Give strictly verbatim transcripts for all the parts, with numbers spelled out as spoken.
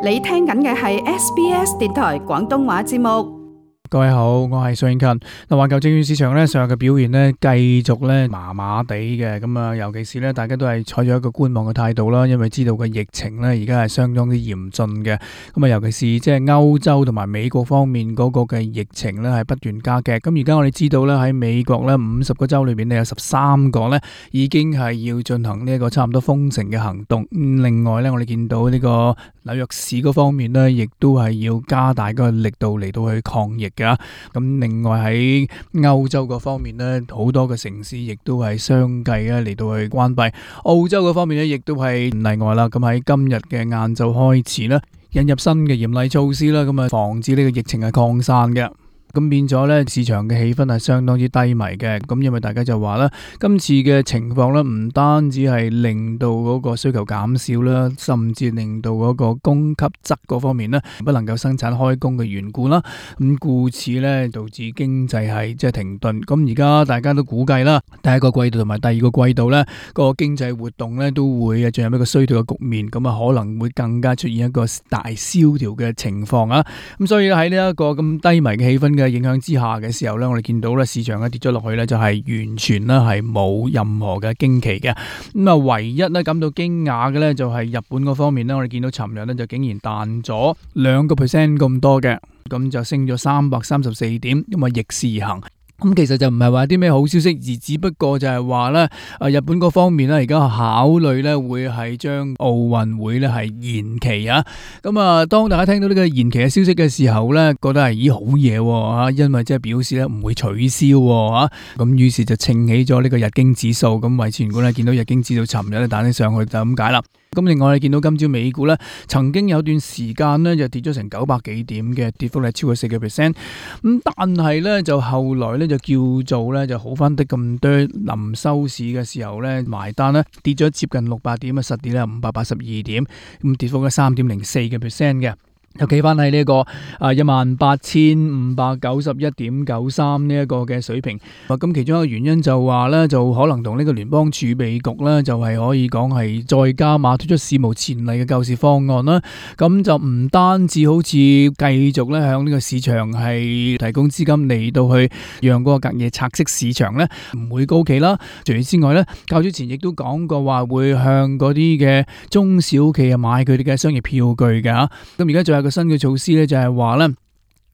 你聽緊嘅係 S B S 電台廣東話節目。各位好，我係蘇永勤。嗱，環球證券市場咧上日嘅表現咧繼續咧麻麻地嘅，咁啊，尤其是咧大家都係採取一個觀望嘅態度啦，因為知道個疫情咧而家係相當之嚴峻嘅，咁啊，尤其是即係歐洲同埋美國方面嗰個嘅疫情咧係不斷加劇。咁而家我哋知道咧喺美國咧五十個州裏邊咧有十三個咧已經係要進行呢一個差唔多封城嘅行動。另外咧我哋見到呢個紐約市嗰方面咧亦都係要加大個力度嚟到去抗疫嘅。咁另外喺歐洲嗰方面咧，好多嘅城市亦都係相繼咧嚟到去關閉。澳洲嗰方面咧，亦都係唔例外啦。咁喺今日嘅晏晝開始咧，引入新嘅嚴厲措施啦，咁啊防止呢個疫情係擴散嘅。咁變咗咧，市場嘅氣氛係相當之低迷嘅。咁因為大家就話啦，今次嘅情況咧，唔單止係令到嗰個需求減少啦，甚至令到嗰個供給側嗰方面咧，不能夠生產開工嘅緣故啦。咁故此咧，導致經濟係即係停頓。咁而家大家都估計啦，第一個季度同埋第二個季度咧，個經濟活動咧都會進入一個衰退嘅局面。咁啊，可能會更加出現一個大蕭條嘅情況啊。咁所以喺呢一個咁低迷嘅氣氛嘅影響之下嘅時候咧，我哋見到咧市場咧跌咗落去咧，就係完全咧係冇任何嘅驚奇嘅。咁啊，唯一咧感到驚訝嘅咧就係日本嗰方面咧，我哋見到尋日咧就竟然彈咗兩個 percent 咁多嘅，咁就升咗三百三十四點，咁啊逆市而行。咁其實就唔係話啲咩好消息，而只不過就係話咧，誒日本嗰方面咧而家考慮咧會係將奧運會咧係延期啊。咁啊，當大家聽到呢個延期嘅消息嘅時候咧，覺得係咦好嘢喎，因為即係表示咧唔會取消喎。咁於是就稱起咗呢個日經指數，咁維持原本咧見到日經指數尋日咧彈起上去就咁解啦。咁另外你見到今朝美股咧，曾經有段時間咧就跌咗成九百幾點嘅，跌幅係超過四個 percent。咁但係咧就後來咧就叫做咧就好翻啲咁多，臨收市嘅時候咧埋單咧跌咗接近六百點啊，實跌咧五百八十二點，咁跌幅咧三點零四個 percent 嘅。又企翻喺呢一個啊一萬八千五百九十一點九三呢一個嘅水平。咁其中一個原因就話咧，就可能同呢個聯邦儲備局咧，就係可以講係再加碼推出史無前例嘅救市方案啦。咁就唔單止好似繼續咧向呢個市場係提供資金嚟到去讓嗰個隔夜拆息市場咧唔會高企啦。除此之外咧，較早前亦都講過話會向嗰啲嘅中小企啊買佢哋嘅商業票據嘅吓。咁而家仲有個新嘅措施咧，就係話咧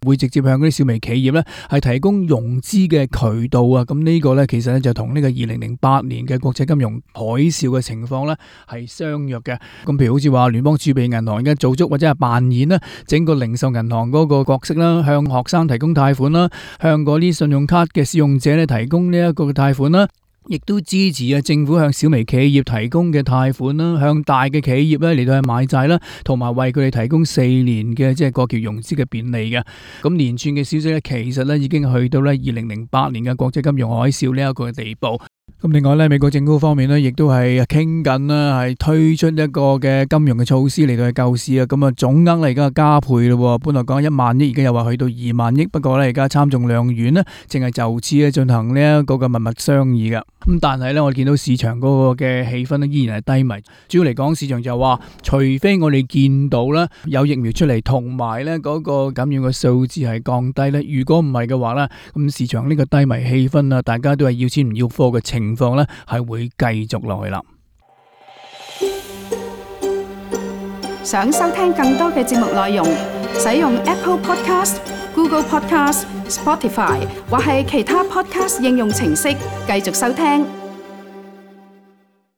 會直接向嗰啲小微企業咧係提供融資嘅渠道啊。咁呢個咧其實咧就同呢個二零零八年嘅國際金融海嘯嘅情況咧係相若嘅。咁譬如好似話聯邦儲備銀行而家做足或者係扮演啦整個零售銀行嗰個角色啦，向學生提供貸款啦，向嗰啲信用卡嘅使用者咧提供呢一個嘅貸款啦。亦都支持啊政府向小微企業提供嘅貸款啦，向大嘅企業咧嚟到去買債啦，同埋為佢哋提供四年嘅即係過橋融資嘅便利嘅。咁連串嘅消息咧，其實咧已經去到咧二零零八年嘅國際金融海嘯呢一個嘅地步。咁另外咧，美國政府方面咧，亦都係傾緊啦，係推出一個嘅金融嘅措施嚟到去救市啊。咁啊，總額咧而家加倍咯，本來講一萬億，而家又話去到二萬億。不過咧，而家參眾兩院呢，淨係就此咧進行呢一個嘅密密商議噶。咁但係咧，我哋見到市場嗰個嘅氣氛咧依然係低迷。主要嚟講，市場就話，除非我哋見到咧有疫苗出嚟，同埋咧嗰個感染嘅數字係降低咧。如果唔係嘅話咧，咁市場呢個低迷氣氛啊，大家都係要錢唔要貨嘅情況咧，係會繼續落去啦。想收聽更多嘅節目內容，使用 Apple Podcast、Google Podcast、Spotify 或係其他 Podcast 應用程式繼續收聽。